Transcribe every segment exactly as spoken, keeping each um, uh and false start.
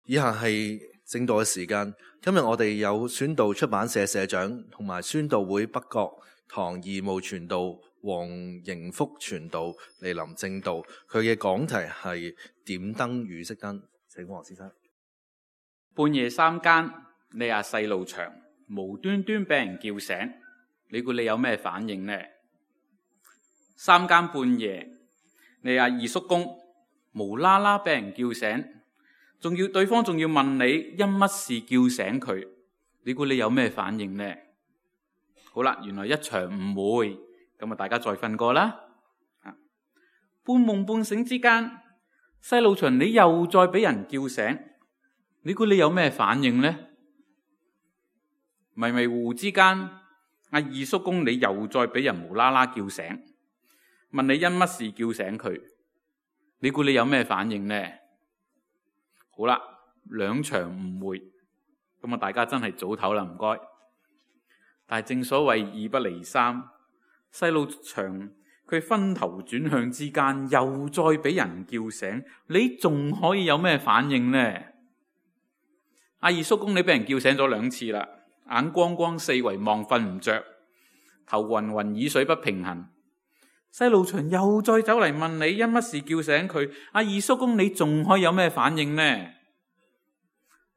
以下係正道嘅時間。今日我哋有宣道出版社社長同埋宣道會北角堂義務傳道黃盈福傳道嚟臨正道，佢嘅講題係點燈與熄燈。請黃先生。半夜三更，你阿細路祥無端端俾人叫醒，你估你有咩反應呢？三更半夜，你阿二叔公無啦啦俾人叫醒，仲要對方仲要問你因乜事叫醒佢，你估你有咩反應呢？好啦，原來一場誤會，咁啊大家再瞓過啦。半夢半醒之間，細路祥你又再俾人叫醒，你估你有咩反應呢？迷迷糊糊之間，阿二叔公你又再俾人無啦啦叫醒，問你因乜事叫醒佢，你估你有咩反應呢？好啦，兩場誤會，咁啊大家真係早唞啦，唔該。但係正所謂二不離三，細路祥佢分頭轉向之間又再俾人叫醒，你仲可以有咩反應呢？阿二叔公你俾人叫醒咗兩次啦，眼光光四圍望瞓唔着，頭暈暈耳水不平衡。細路祥又再走嚟問你因乜事叫醒佢，阿二叔公你仲可以有咩反應呢？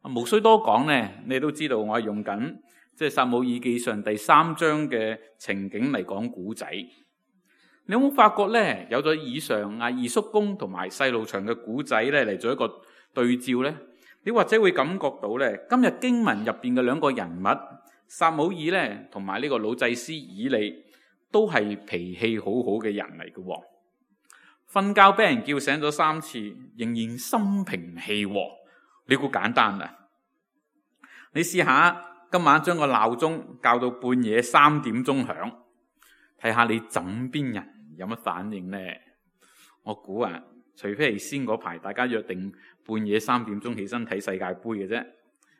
無需多講呢，你都知道我係用緊即係撒母耳記上第三章嘅情景嚟講古仔。你有冇發覺呢？有咗以上阿二叔公同埋細路祥嘅古仔呢嚟做一個對照呢？你或者會感覺到呢，今日經文入邊嘅兩個人物撒母耳呢同埋呢個老祭司以利都係脾氣好好嘅人嚟嘅。瞓覺俾人叫醒咗三次，仍然心平氣和。你估簡單啊？你試下今晚將個鬧鐘校到半夜三點鐘響，睇下你枕邊人有乜反應呢？我估啊，除非係先嗰排大家約定半夜三點鐘起身睇世界盃嘅啫，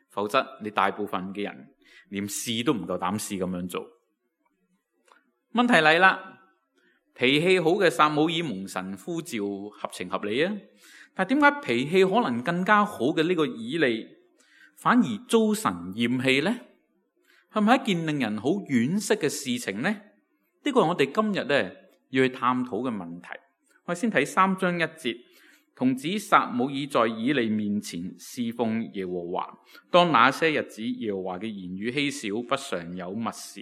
否則你大部分嘅人連試都唔夠膽試咁樣做。問題嚟啦，脾氣好嘅撒母耳蒙神呼召合情合理啊，但係點解脾氣可能更加好嘅呢個以利反而遭神厭棄呢？係咪一件令人好惋惜嘅事情呢？呢個係我哋今日咧要去探討嘅問題。我哋先睇三章一節，童子撒母耳在以利面前侍奉耶和華，當那些日子耶和華嘅言語稀少，不常有默示。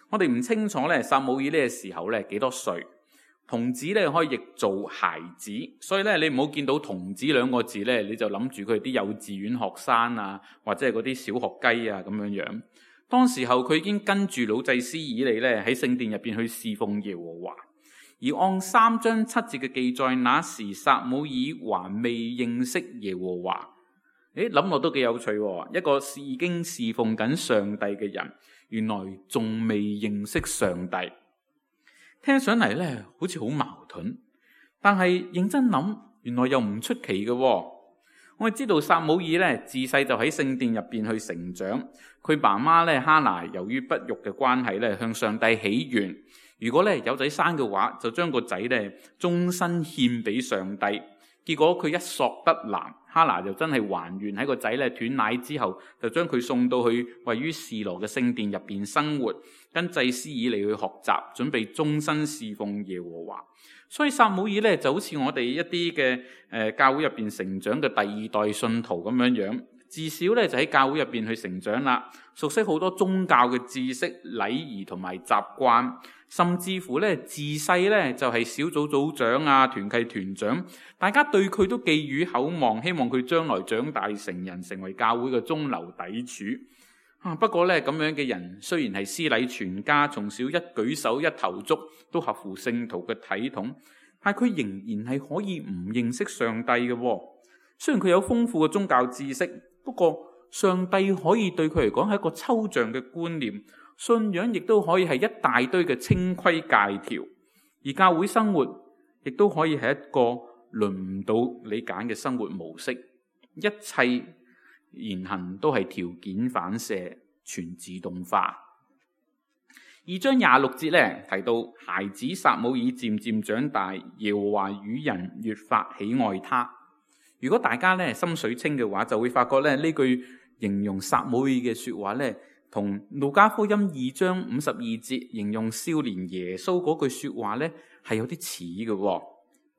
我哋唔清楚咧撒母耳呢個時候咧幾多歲，童子咧可以譯做孩子，所以咧你唔好見到童子兩個字咧，你就諗住佢係啲幼稚園學生啊，或者係嗰啲小學雞啊咁樣樣。當時候佢已經跟住老祭司以利咧喺聖殿入邊去侍奉耶和華，而按三章七節嘅記載，那時撒母耳還未認識耶和華。誒，諗落都幾有趣喎，一個已經侍奉緊上帝嘅人，原來仲未認識上帝。聽上嚟咧好似好矛盾，但係認真諗，原來又唔出奇嘅。我哋知道撒母耳咧自細就喺聖殿入邊去成長，佢媽媽咧哈拿由於不育嘅關係咧向上帝許願，如果咧有仔生嘅話，就將個仔咧終身獻俾上帝。結果佢一索得男，哈拿就真係還願喺個仔咧斷奶之後，就將佢送到去位於示羅嘅聖殿入邊生活，跟祭司以利去學習，準備終身侍奉耶和華。所以撒母耳咧就好似我哋一啲嘅誒教會入邊成長嘅第二代信徒咁樣樣，至少咧就喺教會入邊去成長啦，熟悉好多宗教嘅知識、禮儀同埋習慣，甚至乎咧自細咧就係小組組長啊、團契團長，大家對佢都寄予厚望，希望佢將來長大成人，成為教會嘅中流砥柱。啊，不過咧咁樣嘅人雖然係師禮全家，從小一舉手一投足都合乎聖徒嘅體統，但係佢仍然係可以唔認識上帝嘅。雖然佢有豐富嘅宗教知識，不過上帝可以對佢嚟講係一個抽象嘅觀念，信仰亦都可以係一大堆嘅清規戒條，而教會生活亦都可以係一個輪唔到你揀嘅生活模式，一切言行都係條件反射，全自動化。二章廿六節咧提到，孩子撒母耳漸漸長大，耶和華與人越發喜愛他。如果大家咧心水清嘅話，就會發覺咧呢句形容撒母耳嘅說話咧，同路加福音二章五十二節形容少年耶穌嗰句說話咧係有啲似嘅。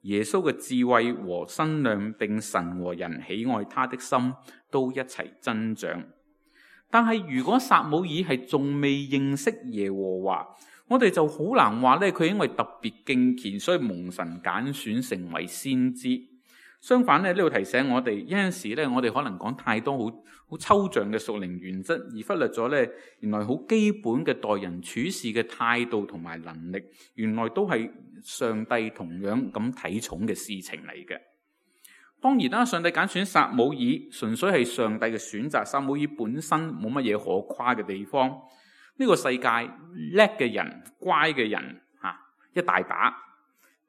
耶穌嘅智慧和身量，並神和人喜愛他的心都一齊增長。但係如果撒母耳係仲未認識耶和華，我哋就好難話咧佢因為特別敬虔，所以蒙神揀選成為先知。相反咧，呢度提醒我哋，有陣時咧我哋可能講太多好好抽象嘅屬靈原則，而忽略咗咧原來好基本嘅待人處事嘅態度同埋能力，原來都係上帝同樣咁睇重嘅事情嚟嘅。當然啦，上帝揀選撒母耳純粹係上帝嘅選擇，撒母耳本身冇乜嘢可誇嘅地方。呢個世界叻嘅人、乖嘅人吓一大把，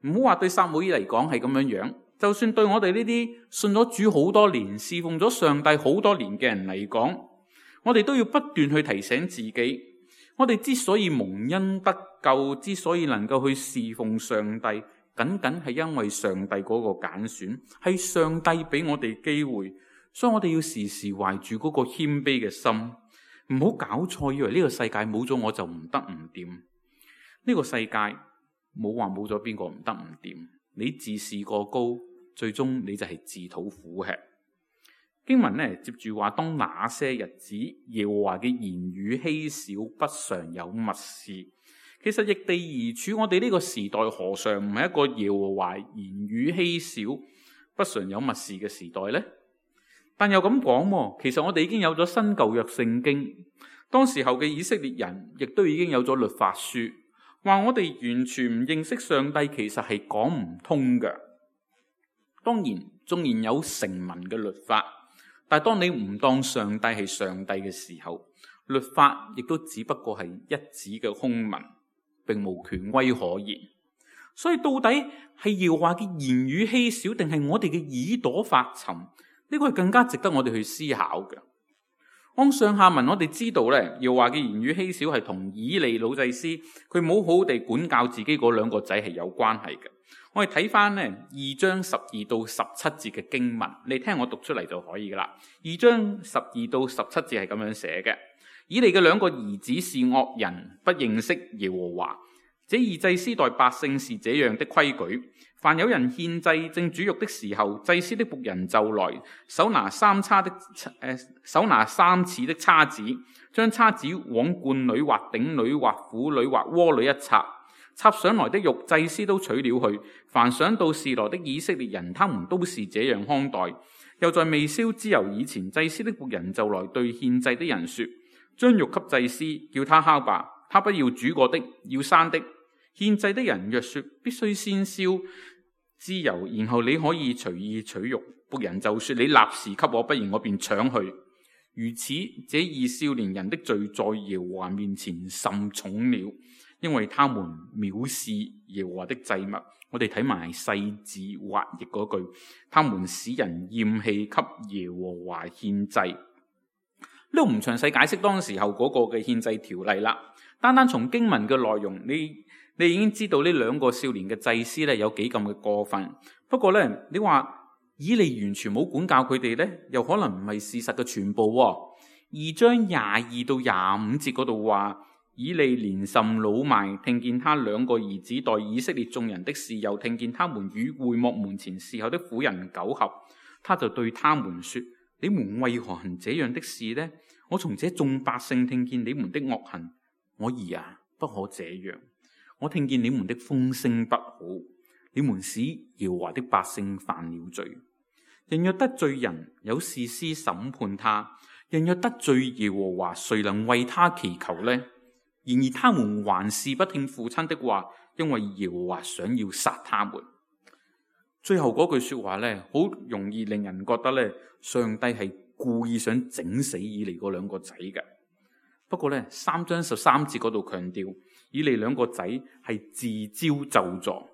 唔好話對撒母耳嚟講係咁樣樣。就算對我哋呢啲信咗主好多年、侍奉咗上帝好多年嘅人嚟講，我哋都要不斷去提醒自己，我哋之所以蒙恩得救，之所以能夠去侍奉上帝，僅僅係因為上帝嗰個揀選，係上帝俾我哋機會，所以我哋要時時懷住嗰個謙卑嘅心，唔好搞錯，以為呢個世界冇咗我就唔得唔掂。呢個世界冇話冇咗邊個唔得唔掂，你自視過高，最終你就係自討苦吃。經文呢接住話，當那些日子，耶和華嘅言語稀少，不常有默示。其實逆地而處，我哋呢個時代何嘗唔係一個耶和華言語稀少、不常有默示嘅時代呢？但又咁講，其實我哋已經有咗新舊約聖經，當時候嘅以色列人亦都已經有咗律法書，話我哋完全唔認識上帝，其實係講唔通嘅。當然，縱然有成文嘅律法，但係當你唔當上帝係上帝嘅時候，律法亦都只不過係一紙嘅空文，並無權威可言。所以到底係耶和華嘅言語稀少，定係我哋嘅耳朵發沉？呢個係更加值得我哋去思考嘅。按上下文，我哋知道咧，耶和華嘅言語稀少係同以利老祭司佢冇好好地管教自己嗰兩個仔係有關係嘅。我哋睇翻呢二章十二到十七節嘅經文，你聽我讀出嚟就可以噶啦。二章十二到十七節係咁樣寫嘅：以利嘅兩個兒子是惡人，不認識耶和華。這二祭司待百姓是這樣的規矩：凡有人獻祭正煮肉的時候，祭司的僕人就來，手拿三叉的誒、呃，手拿三齒的叉子，將叉子往罐裏或鼎裏或釜裏或鍋裏一插，插上來的肉，祭司都取了去。凡想到示羅的以色列人，他們都是這樣看待。又在未燒脂油以前，祭司的僕人就來對獻祭的人說：將肉給祭司，叫他烤吧，他不要煮過的，要生的。獻祭的人若說必須先燒脂油，然後你可以隨意取肉，僕人就說：你立時給我，不然我便搶去。如此，這二少年人的罪在耶和華面前甚重了，因為他們藐視耶和華的祭物。我哋睇埋細字滑譯嗰句，他們使人厭棄給耶和華獻祭。呢度唔詳細解釋當時候嗰個嘅獻祭條例啦，單單從經文嘅內容，你你已經知道呢兩個少年嘅祭司咧有幾咁嘅過分。不過咧，你話以利完全冇管教佢哋咧，又可能唔係事實嘅全部。二章廿二到廿五節嗰度話，以利年甚老邁，聽見他兩個兒子待以色列眾人的事，又聽見他們與會幕門前侍候的婦人苟合，他就對他們說：你們為何行這樣的事呢？我從這眾百姓聽見你們的惡行，我兒啊，不可這樣。我聽見你們的風聲不好，你們使耶和華的百姓犯了罪。人若得罪人，有士師審判他；人若得罪耶和華，誰能為他祈求呢？然而他們還是不聽父親的話，因為耶和華想要殺他們。最後嗰句說話呢，好容易令人覺得呢，上帝係故意想整死以利嗰兩個仔嘅。不過呢，三章十三節嗰度強調，以利兩個仔係自招咒詛。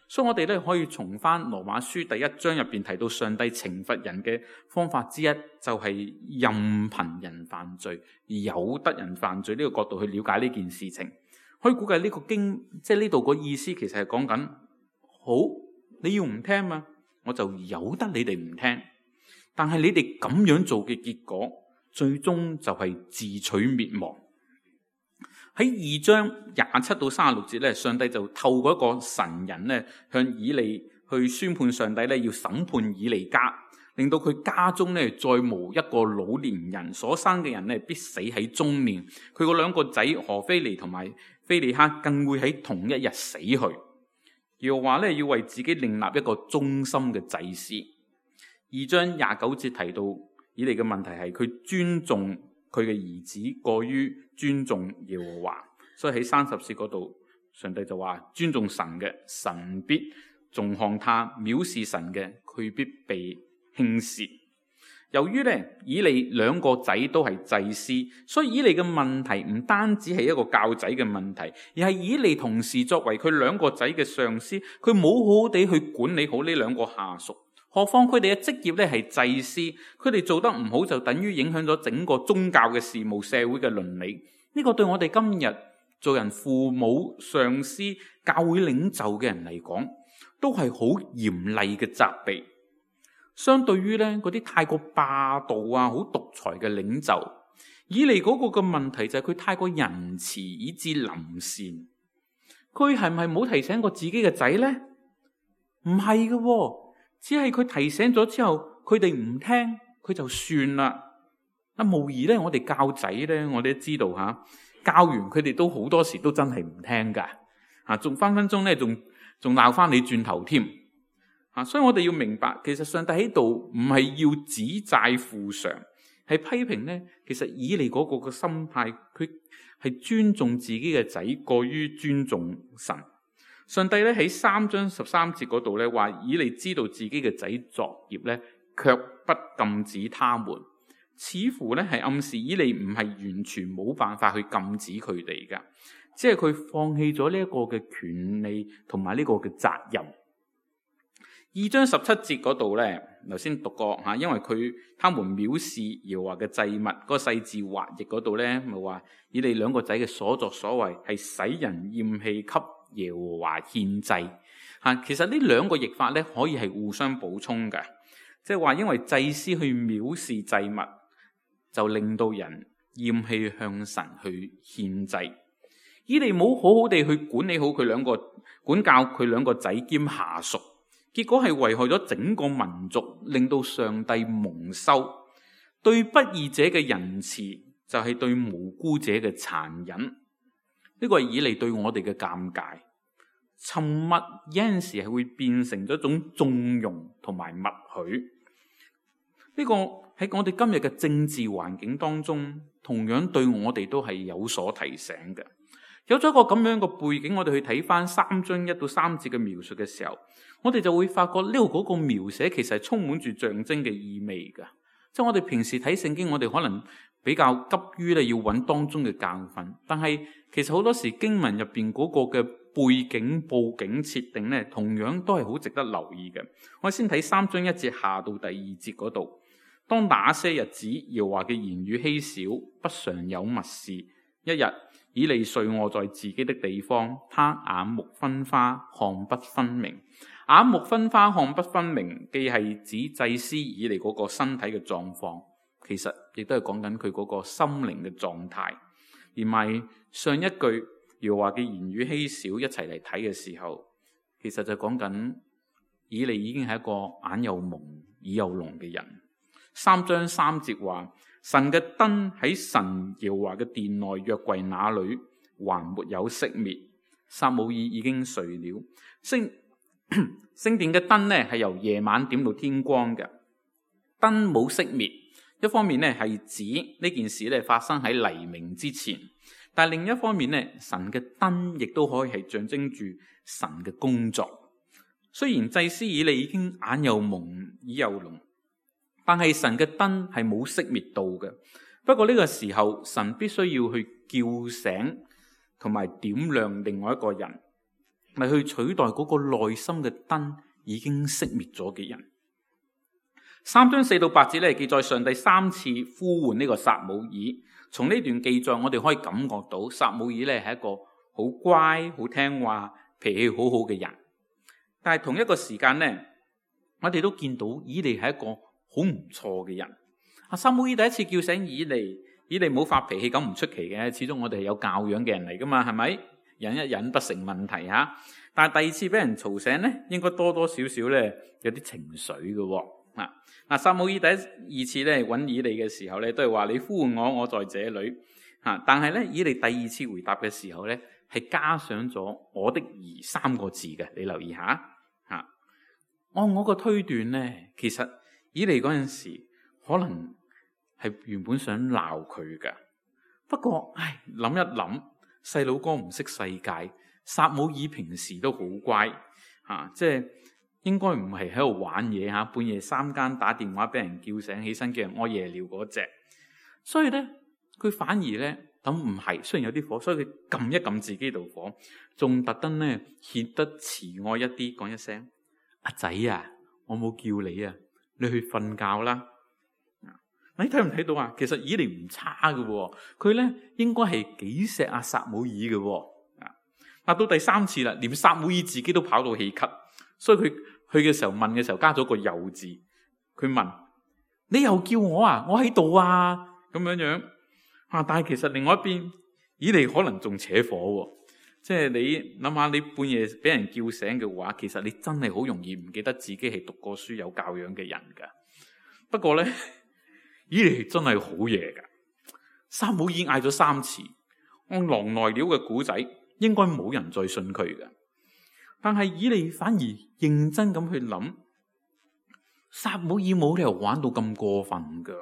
所以我哋咧可以從翻羅馬書第一章入邊提到上帝懲罰人嘅方法之一，就係任憑人犯罪，而由得人犯罪呢個角度去了解呢件事情。可以估計呢個經，即係呢度個意思，其實係講緊好，你要唔聽嘛，我就由得你哋唔聽。但係你哋咁樣做嘅結果，最終就係自取滅亡。喺二章廿七到三十六節咧，上帝就透過一個神人咧，向以利去宣判上帝咧要審判以利家，令到佢家中咧再無一個老年人，所生嘅人咧必死喺中年。佢嗰兩個仔何非尼同埋非尼哈更會喺同一日死去。又話咧要為自己另立一個忠心嘅祭司。二章廿九節提到以利嘅問題係佢尊重佢嘅兒子過於尊重耶和華，所以喺三十節嗰度，上帝就話尊重神嘅，神必重看他；藐視神嘅，佢必被輕視。由於咧以利兩個仔都係祭司，所以以利嘅問題唔單止係一個教仔嘅問題，而係以利同時作為佢兩個仔嘅上司，佢冇好好地去管理好呢兩個下屬。何況佢哋嘅職業咧係祭司，佢哋做得唔好就等於影響咗整個宗教嘅事務、社會嘅倫理。呢個對我哋今日做人父母、上司、教會領袖嘅人嚟講，都係好嚴厲嘅責備。相對於咧嗰啲太過霸道啊、好獨裁嘅領袖，以利嗰個嘅問題就係佢太過仁慈以致臨善。佢係唔係冇提醒過自己嘅仔呢？唔係嘅。只係佢提醒咗之後，佢哋唔聽，佢就算啦。啊，無疑咧，我哋教仔咧，我哋都知道吓，教完佢哋都好多時都真係唔聽噶，啊，仲分分鐘咧，仲仲鬧翻你轉頭添。啊，所以我哋要明白，其實上帝喺度唔係要指債付償，係批評咧。其實以利嗰個嘅心態，佢係尊重自己嘅仔，過於尊重神。上帝咧喺三章十三節嗰度咧話，以利知道自己嘅仔作孽咧，卻不禁止他們，似乎咧係暗示以利唔係完全冇辦法去禁止佢哋噶，即係佢放棄咗呢一個嘅權利同埋呢個嘅責任。二章十七節嗰度咧，頭先讀過吓，因為佢他們藐視耶和華嘅祭物，嗰個細字滑譯嗰度咧，咪話以利兩個仔嘅所作所為係使人厭棄給耶和華獻祭。吓，其實呢兩個譯法咧可以係互相補充嘅，即係話因為祭司去藐視祭物，就令到人厭棄向神去獻祭。以利冇好好地去管理好佢兩個，管教佢兩個仔兼下屬。結果係危害咗整個民族，令到上帝蒙羞。對不義者嘅仁慈，就係對無辜者嘅殘忍。呢個係以利對我哋嘅尷尬。沉默有陣時係會變成咗一種縱容同埋默許。呢個喺我哋今日嘅政治環境當中，同樣對我哋都係有所提醒嘅。有咗一個咁樣嘅背景，我哋去睇翻三章一到三節嘅描述嘅時候，我哋就會發覺呢度嗰個描寫其實係充滿住象徵嘅意味㗎。即係我哋平時睇聖經，我哋可能比較急於咧要揾當中嘅教訓，但係其實好多時經文入邊嗰個嘅背景、佈景設定咧，同樣都係好值得留意嘅。我哋先睇三章一節下到第二節嗰度，當那些日子，耶和華嘅言語稀少，不常有默示，一日。以利睡臥在自己的地方，他眼目昏花，看不分明。眼目昏花，看不分明，既係指祭司以利嗰個身體嘅狀況，其實亦都係講緊佢嗰個心靈嘅狀態。而埋上一句耶和華嘅言語稀少，一齊嚟睇嘅時候，其實就講緊以利已經係一個眼又蒙耳又聾嘅人。三章三節話，神嘅燈喺神耶和華嘅殿內約櫃那裏還沒有熄滅，撒母耳已經睡了。聖聖殿嘅燈咧係由夜晚點到天光嘅，燈冇熄滅。一方面咧係指呢件事咧發生喺黎明之前，但係另一方面咧，神嘅燈亦都可以係象徵住神嘅工作。雖然祭司以利已經眼又蒙耳又聾，但係神嘅燈係冇熄滅到嘅。不過呢個時候，神必須要去叫醒同埋點亮另外一個人，咪去取代嗰個內心嘅燈已經熄滅咗嘅人。三章四到八節咧記載上帝三次呼喚呢個撒母耳。從呢段記載，我哋可以感覺到撒母耳咧係一個好乖、好聽話、脾氣好好嘅人。但係同一個時間咧，我哋都見到以利係一個好唔錯嘅人。啊，撒母耳第一次叫醒以利，以利冇發脾氣，咁唔出奇嘅，始終我哋係有教養嘅人嚟噶嘛，係咪？忍一忍不成問題吓。但係第二次俾人嘈醒咧，應該多多少少咧有啲情緒嘅喎。啊，嗱，撒母耳第一二次咧揾以利嘅時候咧，都係話你呼喚我，我在這裏。吓，但係咧以利第二次回答嘅時候咧，係加上咗我的兒三個字嘅，你留意下吓。按我個推斷咧，其實以利嗰陣時可能係原本想鬧佢噶，不過唉諗一諗，細佬哥唔識世界，撒母耳平時都好乖吓，即係應該唔係喺度玩嘢吓，半夜三更打電話俾人叫醒起身嘅人屙夜尿嗰隻，所以咧佢反而咧咁唔係，雖然有啲火，所以佢撳一撳自己度火，仲特登咧顯得慈愛一啲，講一聲阿仔啊，我冇叫你啊，你去瞓覺啦。你睇唔睇到啊？其實以利唔差嘅，佢咧應該係幾錫阿撒母耳嘅。啊，到第三次啦，連撒母耳自己都跑到氣咳，所以佢去嘅時候問嘅時候加咗個又字，佢問你又叫我啊？我喺度啊，咁樣樣啊。但係其實另外一邊，以利可能仲扯火，即係你諗下，你半夜俾人叫醒嘅話，其實你真係好容易唔記得自己係讀過書有教養嘅人噶。不過咧，以利真係好嘢噶。撒母耳嗌咗三次，按狼來了嘅古仔，應該冇人再信佢嘅。但係以利反而認真咁去諗，撒母耳冇理由玩到咁過分噶。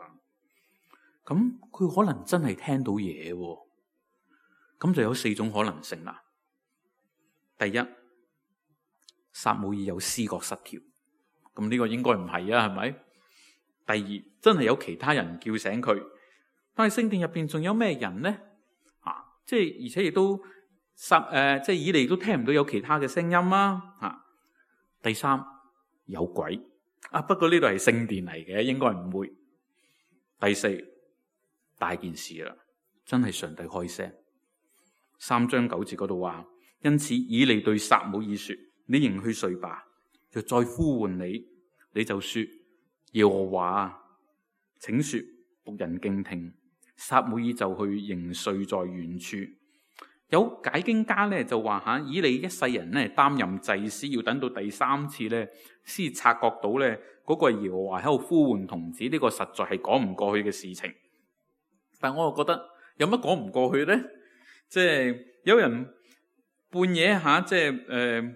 咁佢可能真係聽到嘢，咁就有四種可能性啦。第一，撒母耳有思覺失調，咁呢個應該唔係啊，係咪？第二，真係有其他人叫醒佢，但係聖殿入邊仲有咩人呢？啊，即係而且亦都撒誒，即係以利都聽唔到有其他嘅聲音啊！啊，第三，有鬼啊，不過呢度係聖殿嚟嘅，應該唔會。第四，大件事啦，真係上帝開聲。三章九節嗰度話，因此以利對撒母耳說：你仍去睡吧，若再呼喚你，你就說。耶和華，請說，僕人敬聽。撒母耳就去仍睡在原處。有解經家咧就話吓，以利一世人咧擔任祭司，要等到第三次咧先察覺到咧嗰個耶和華喺度呼喚童子，呢、這個實在係講唔過去嘅事情。但我又覺得有乜講唔過去咧？即係有人半夜吓，即係誒。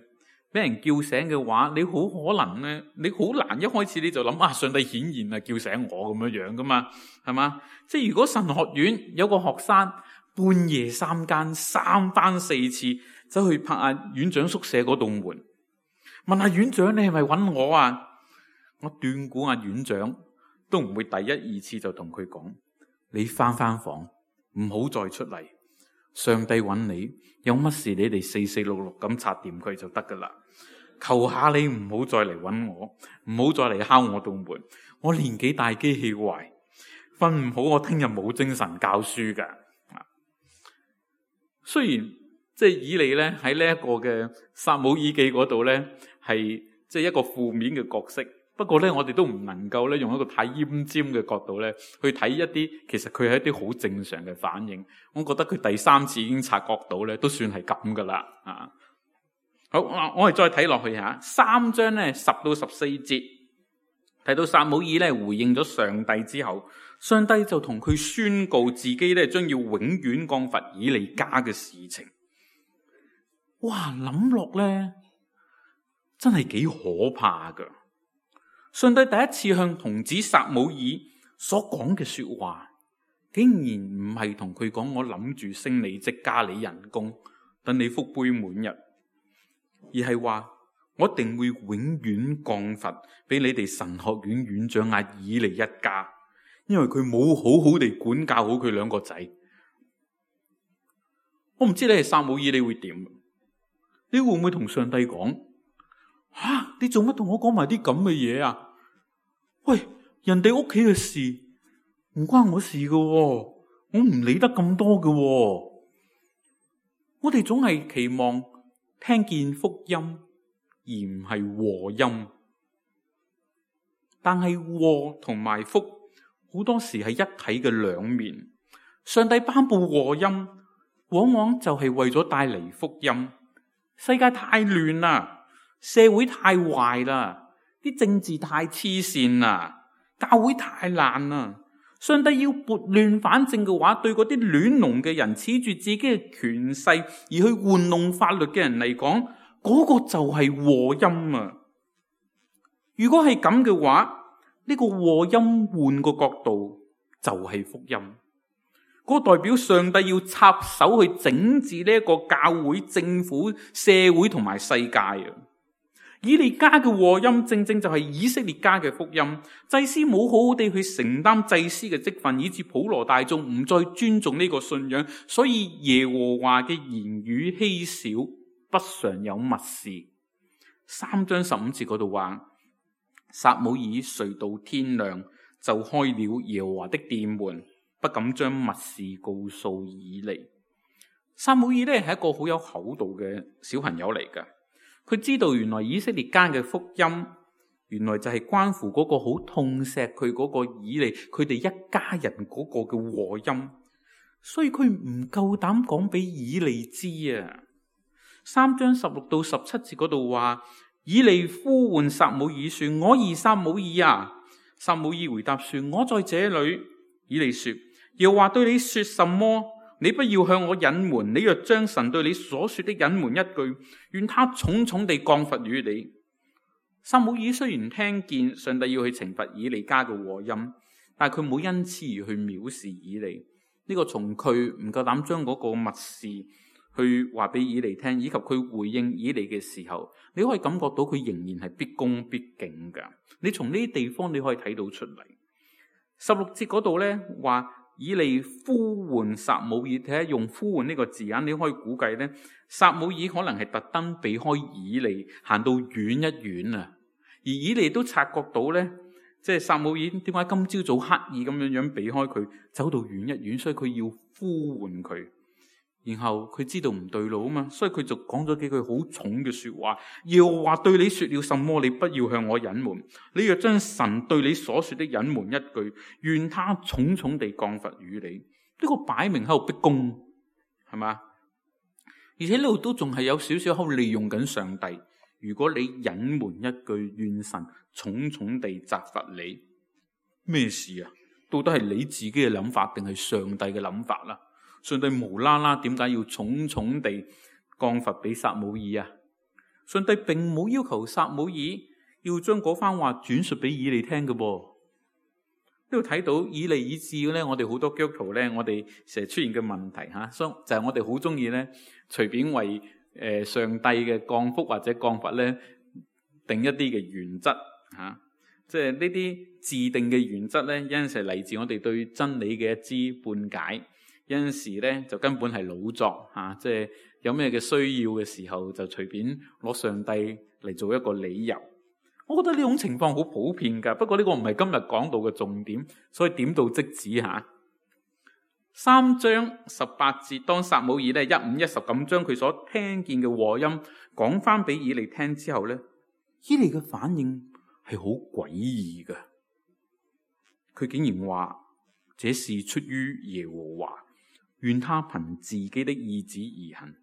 俾人叫醒嘅話，你好可能咧，你好難一開始你就諗啊，上帝顯現啊，叫醒我咁樣樣噶嘛，係嘛？即係如果神學院有個學生半夜三更三番四次走去拍阿院長宿舍嗰棟門，問阿院長你係咪揾我啊？我斷估阿院長都唔會第一二次就同佢講，你翻翻房，唔好再出嚟。上帝揾你，有乜事你哋四四六六咁拆掂佢就得噶啦。求下你唔好再嚟揾我，唔好再嚟敲我道門。我年紀大，機器壞，瞓唔好，我聽日冇精神教書噶。雖然即係以利咧喺呢一個嘅撒母耳記嗰度咧係即係一個負面嘅角色。不過咧，我哋都唔能夠咧用一個太奄尖嘅角度咧去睇一啲，其實佢係一啲好正常嘅反應。我覺得佢第三次已經察覺到咧，都算係咁噶啦。啊，好，我哋再睇落去吓，三章咧十到十四節，睇到撒母耳咧回應咗上帝之後，上帝就同佢宣告自己咧將要永遠降罰以利家嘅事情。哇，諗落咧真係幾可怕噶！上帝第一次向童子撒母耳所講嘅說話，竟然唔係同佢講我諗住升你職加你人工，等你福杯滿溢，而係話我一定會永遠降罰俾你哋神學院院長阿以利一家，因為佢冇好好地管教好佢兩個仔。我唔知你係撒母耳你會點？你會唔會同上帝講？吓、啊，你做乜同我講埋啲咁嘅嘢啊？喂，人哋屋企嘅事唔關我事噶，我唔理得咁多噶。我哋總係期望聽見福音，而唔係禍音。但係禍同埋福好多時係一體嘅兩面。上帝頒布禍音，往往就係為咗帶嚟福音。世界太亂啦，社會太壞啦，啲政治太黐線啦，教會太爛啦。上帝要撥亂反正嘅話，對嗰啲亂龍嘅人，恃住自己嘅權勢而去玩弄法律嘅人嚟講，嗰、嗰個就係禍音啊！如果係咁嘅話，呢、呢個禍音換個角度就係福音。嗰、嗰個代表上帝要插手去整治呢一個教會、政府、社會同埋世界啊！以利家嘅禍音正正就係以色列家嘅福音。祭司冇好好地去承擔祭司嘅職分，以致普羅大眾唔再尊重呢個信仰，所以耶和華嘅言語稀少，不常有密事。三章十五節嗰度話，撒母耳睡到天亮，就開了耶和華的殿門，不敢將密事告訴以利。撒母耳咧係一個好有厚道嘅小朋友嚟噶。佢知道原來以色列家嘅福音，原來就係關乎嗰個好痛錫佢嗰個以利，佢哋一家人嗰個嘅禍音，所以佢唔夠膽講俾以利知啊。三章十六到十七節嗰度話，以利呼喚撒母耳說：我兒撒母耳啊！撒母耳回答說：我在這裏。以利說：耶和華對你說什麼？你不要向我隱瞞，你若將神對你所說的隱瞞一句，願他重重地降罰於你。撒母耳雖然聽見上帝要去懲罰以利家嘅禍音，但係佢冇因此而去藐視以利。呢、這個從佢唔夠膽將嗰個密事去話俾以利聽，以及佢回應以利嘅時候，你可以感覺到佢仍然係必恭必敬噶。你從呢啲地方你可以睇到出嚟。十六節嗰度咧話，以利呼喚撒母耳，睇下用呼喚呢個字眼，你可以估計咧，撒母耳可能係特登避開以利，行到遠一遠啊。而以利都察覺到咧，即係撒母耳點解今朝早刻意咁樣樣避開佢，走到遠一遠，所以佢要呼喚佢。然後佢知道唔對路啊嘛，所以佢就講咗幾句好重嘅說話。耶和華對你說了什麼，你不要向我隱瞞。你若將神對你所說的隱瞞一句，願他重重地降罰於你。呢、這個擺明喺度逼供，係嘛？而且呢度都仲係有少少喺度利用緊上帝。如果你隱瞞一句，願神重重地責罰你。咩事啊？到底係你自己嘅諗法，定係上帝嘅諗法啦？上帝無啦啦點解要重重地降罰俾撒母耳啊？上帝並冇要求撒母耳要將嗰番話轉述俾以利聽嘅噃。呢度睇到以利以致咧，我哋好多基督徒咧，我哋成日出現嘅問題吓，就係我哋好中意咧，隨便為誒上帝嘅降福或者降罰咧定一啲嘅原則吓，即係呢啲自定嘅原則咧，有陣時係嚟自我哋對真理嘅一知半解。有陣時咧就根本係老作嚇，即係有咩嘅需要嘅時候就隨便攞上帝嚟做一個理由。我覺得呢種情況好普遍㗎，不過呢個唔係今日講到嘅重點，所以點到即止嚇。三章十八節，當撒母耳咧一五一十咁將佢所聽見嘅禍音講翻俾以利聽之後咧，以利嘅反應係好詭異㗎。佢竟然話：這是出於耶和華。願他憑自己的意志而行，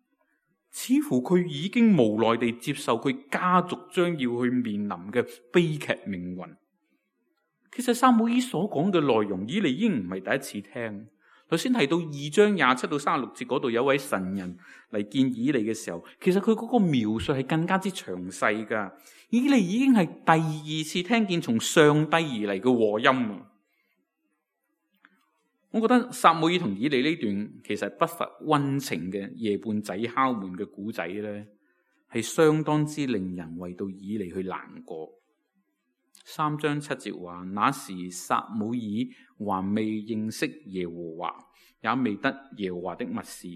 似乎佢已經無奈地接受佢家族將要去面臨嘅悲劇命運。其實撒母耳所講嘅內容，以利已經唔係第一次聽。頭先提到二章廿七到三十六節嗰度，有位神人嚟見以利嘅時候，其實佢嗰個描述係更加之詳細噶。以利已經係第二次聽見從上帝而嚟嘅禍音。我覺得撒母耳同以利呢段其實不乏溫情嘅夜半仔敲門嘅古仔咧，係相當之令人為到以利去難過。三章七節話：那時撒母耳還未認識耶和華，也未得耶和華的密事，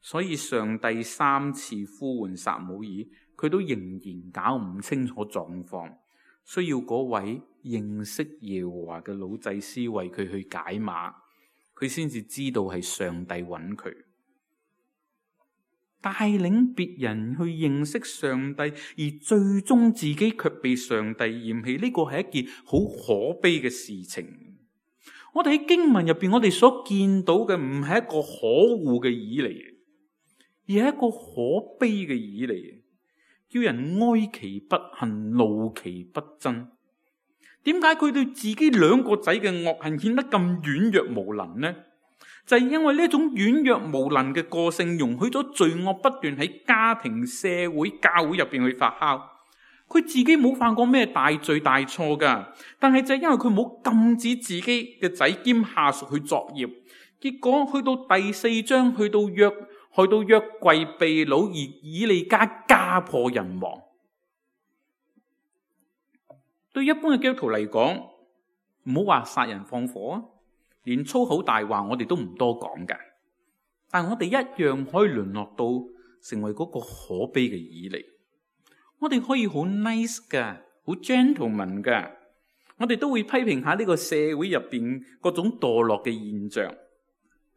所以上帝三次呼喚撒母耳，佢都仍然搞唔清楚狀況，需要嗰位認識耶和華嘅老祭司為佢去解碼。佢先至知道係上帝揾佢。帶領別人去認識上帝，而最終自己卻被上帝嫌棄，呢個係一件好可悲嘅事情。我哋喺經文入邊，我哋所見到嘅唔係一個可惡嘅以利，而係一個可悲嘅以利，叫人哀其不幸，怒其不爭。點解佢對自己兩個仔嘅惡行顯得咁軟弱無能呢？就係因為呢種軟弱無能嘅個性，容許咗罪惡不斷喺家庭、社會、教會入邊去發酵。佢自己冇犯過咩大罪大錯噶，但係就係因為佢冇禁止自己嘅仔兼下屬去作孽，結果去到第四章，去到約去到約櫃被擄，而以利家家破人亡。對一般嘅基督徒嚟講，唔好話殺人放火啊，連粗口大話我哋都唔多講噶，但我哋一樣可以淪落到成為嗰個可悲嘅以利。我哋可以好 nice 噶，好 gentleman 噶，我哋都會批評下呢個社會入邊各種墮落嘅現象。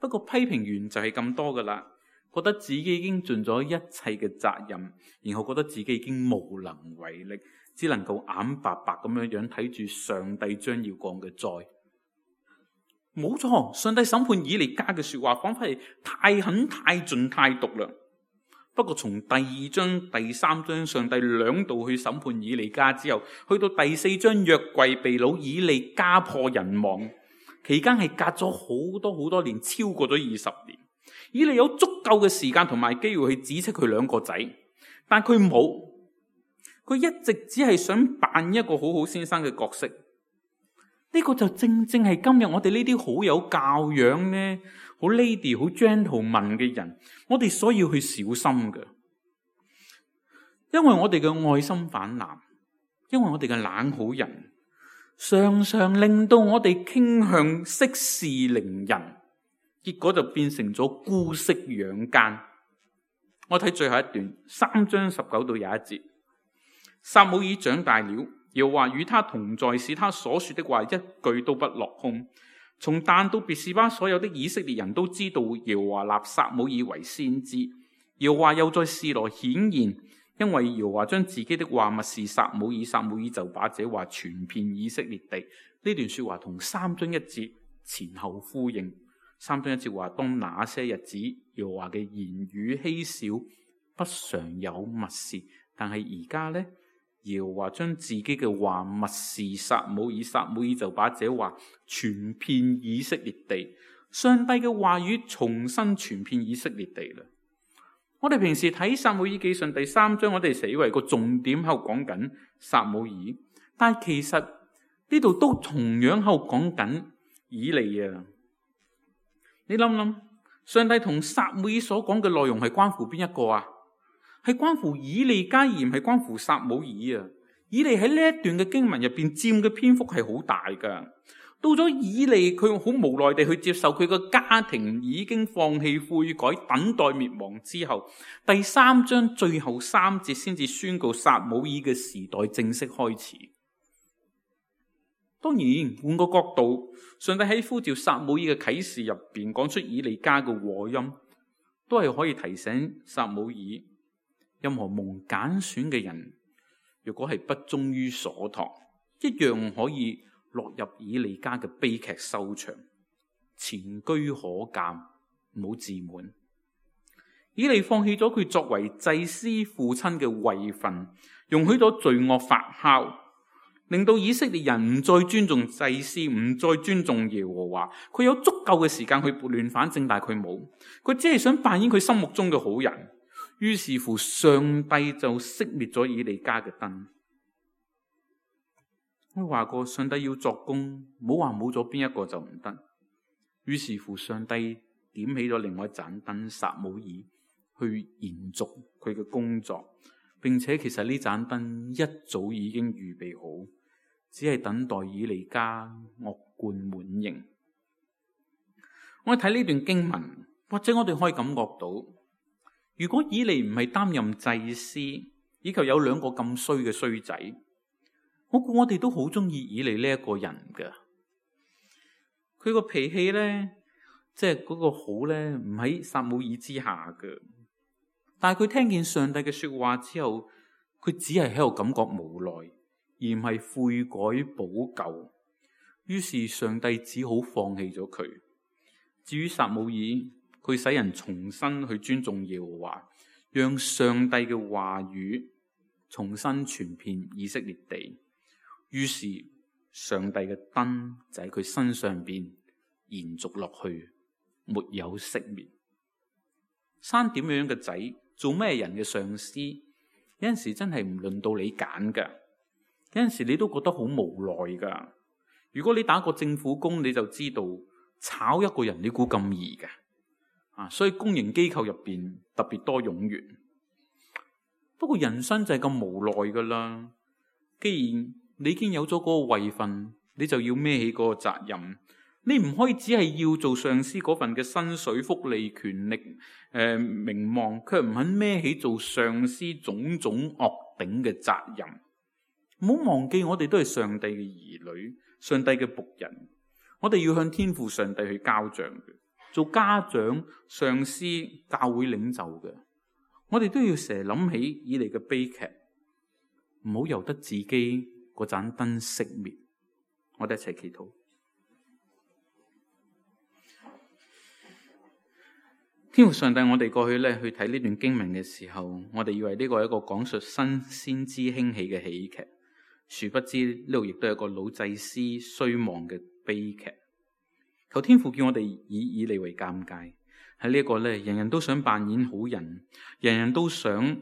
不過批評完就係咁多噶啦，覺得自己已經盡咗一切嘅責任，然後覺得自己已經無能為力，只能夠眼白白咁樣樣睇住上帝將要降嘅災。冇錯，上帝審判以利家嘅說話，仿佛係太狠、太盡、太毒啦。不過從第二章、第三章，上帝兩度去審判以利家之後，去到第四章約櫃被擄，以利家破人亡，期間係隔咗好多好多年，超過咗二十年。以利有足夠嘅時間同埋機會去指斥佢兩個仔，但佢冇，佢一直只係想扮一個好好先生嘅角色。呢個就正正係今日我哋呢啲好有教養呢，好 lady 好 gentleman 嘅人，我哋所要去小心嘅，因為我哋嘅愛心泛濫，因為我哋嘅冷好人，常常令到我哋傾向息事寧人，結果就變成咗姑息養奸。我睇最後一段，三章十九到廿一節，撒母耳長大了，耶和華與他同在，使他所說的話一句都不落空。從但到別是巴，所有的以色列人都知道耶和華立撒母耳為先知。耶和華又在示羅顯現，因為耶和華將自己的話默示撒母耳，撒母耳就把這話傳遍以色列地。呢段說話同三章一節前後呼應。三章一節話，當那些日子，耶和華嘅言語稀少，不常有默示，但係而家呢，耶和華將自己嘅話默示撒母耳，撒母耳就把這話傳遍以色列地。上帝嘅話語重新傳遍以色列地啦。我哋平時睇撒母耳記上第三章，我哋成日以為個重點喺度講緊撒母耳，但係其實呢度都同樣喺度講緊以利啊。你諗諗，上帝同撒母耳所講嘅內容係關乎邊一個啊？係關乎以利家，而唔係關乎撒母耳啊！以利喺呢一段嘅經文入邊佔嘅篇幅係好大噶。到咗以利，佢好無奈地去接受佢個家庭已經放棄悔改，等待滅亡之後，第三章最後三節先至宣告撒母耳嘅時代正式開始。當然，換個角度，上帝喺呼召撒母耳嘅啟示入邊講出以利家嘅禍音，都係可以提醒撒母耳，任何蒙揀選嘅人，如果係不忠於所託，一樣可以落入以利家嘅悲劇收場，前車可鑑，唔好自滿。以利放棄咗佢作為祭司父親嘅位份，容許咗罪惡發酵，令到以色列人唔再尊重祭司，唔再尊重耶和華。佢有足夠嘅時間去撥亂反正，但係佢冇，佢只係想扮演佢心目中嘅好人。於是乎，上帝就熄滅咗以利家嘅燈。我話過，上帝要作工，唔好話冇咗邊一個就唔得。於是乎，上帝點起咗另外一盞燈，撒母耳去延續佢嘅工作，並且其實呢盞燈一早已經預備好，只係等待以利家惡貫滿盈。我睇呢段經文，或者我哋可以感覺到，如果以利唔係擔任祭司，以及有兩個咁衰嘅衰仔，我估我哋都好中意以利呢一個人噶。佢個脾氣咧，即係嗰個好咧，唔喺撒母耳之下噶。但係佢聽見上帝嘅說話之後，佢只係喺度感覺無奈，而唔係悔改補救。於是上帝只好放棄咗佢。至於撒母耳，佢使人重新去尊重耶和華，讓上帝嘅話語重新傳遍以色列地。於是上帝嘅燈就喺佢身上邊延續落去，沒有熄滅。生點樣嘅仔，做咩人嘅上司，有陣時真係唔輪到你揀噶，有陣時你都覺得好無奈噶。如果你打過政府工，你就知道炒一個人你估咁易嘅啊！所以公營機構入邊特別多冗員。不過人生就係咁無奈噶啦。既然你已經有咗嗰個位份，你就要孭起嗰個責任。你唔可以只係要做上司嗰份嘅薪水、福利、權力、誒、呃、名望，卻唔肯孭起做上司種種惡頂嘅責任。唔好忘記，我哋都係上帝嘅兒女。上帝嘅僕人，我哋要向天父上帝去交賬嘅。做家長、上司、教會領袖嘅，我哋都要成日諗起以嚟嘅悲劇，唔好由得自己嗰盞燈熄滅。我哋一齊祈禱。天父上帝，我哋過去咧去睇呢段經文嘅時候，我哋以為呢個係一個講述新先知興起嘅喜劇。殊不知呢度亦都係一個老祭司衰亡嘅悲劇。求天父叫我哋以以利為鑑戒，喺呢一個咧，人人都想扮演好人，人人都想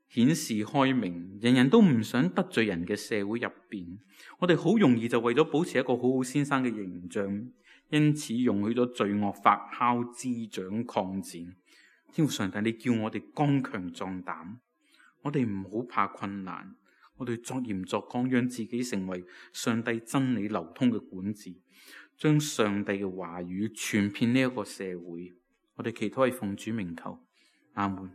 顯示開明，人人都唔想得罪人嘅社會入邊，我哋好容易就為咗保持一個好好先生嘅形象，因此容許咗罪惡發酵滋長擴展。天父上帝，你叫我哋剛強壯膽，我哋唔好怕困難。我哋作鹽作光，讓自己成為上帝真理流通嘅管治，將上帝嘅話語傳遍呢一個社會。我哋祈禱係奉主名求，阿門。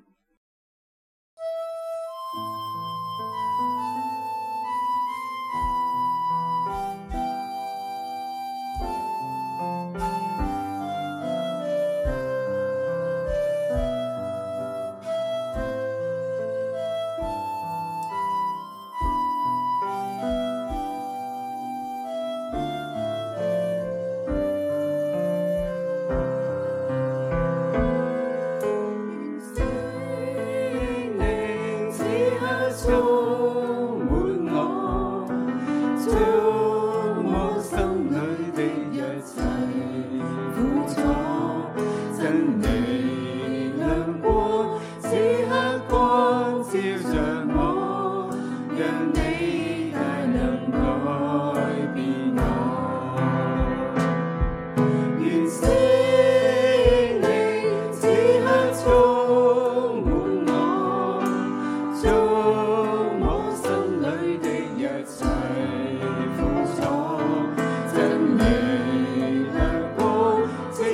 只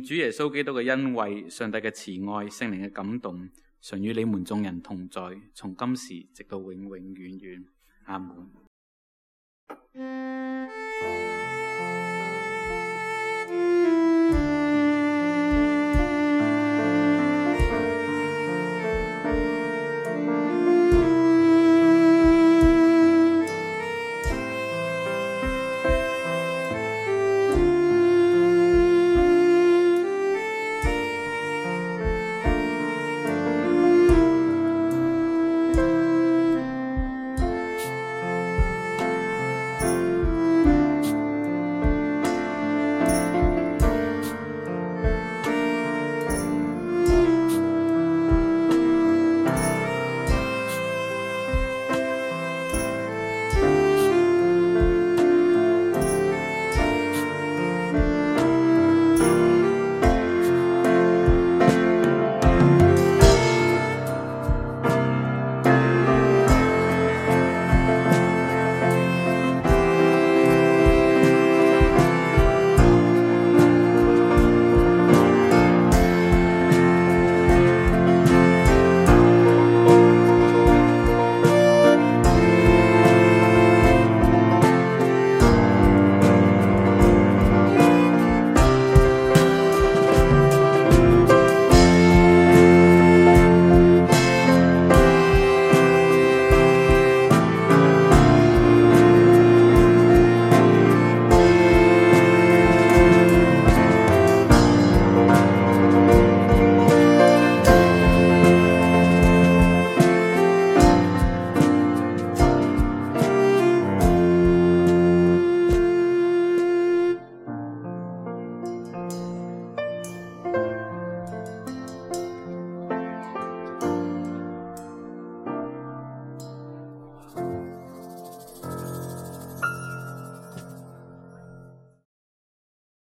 願主耶穌基督嘅恩惠、上帝嘅慈愛、聖靈嘅感動，常與你們眾人同在，從今時直到永永遠遠。阿門。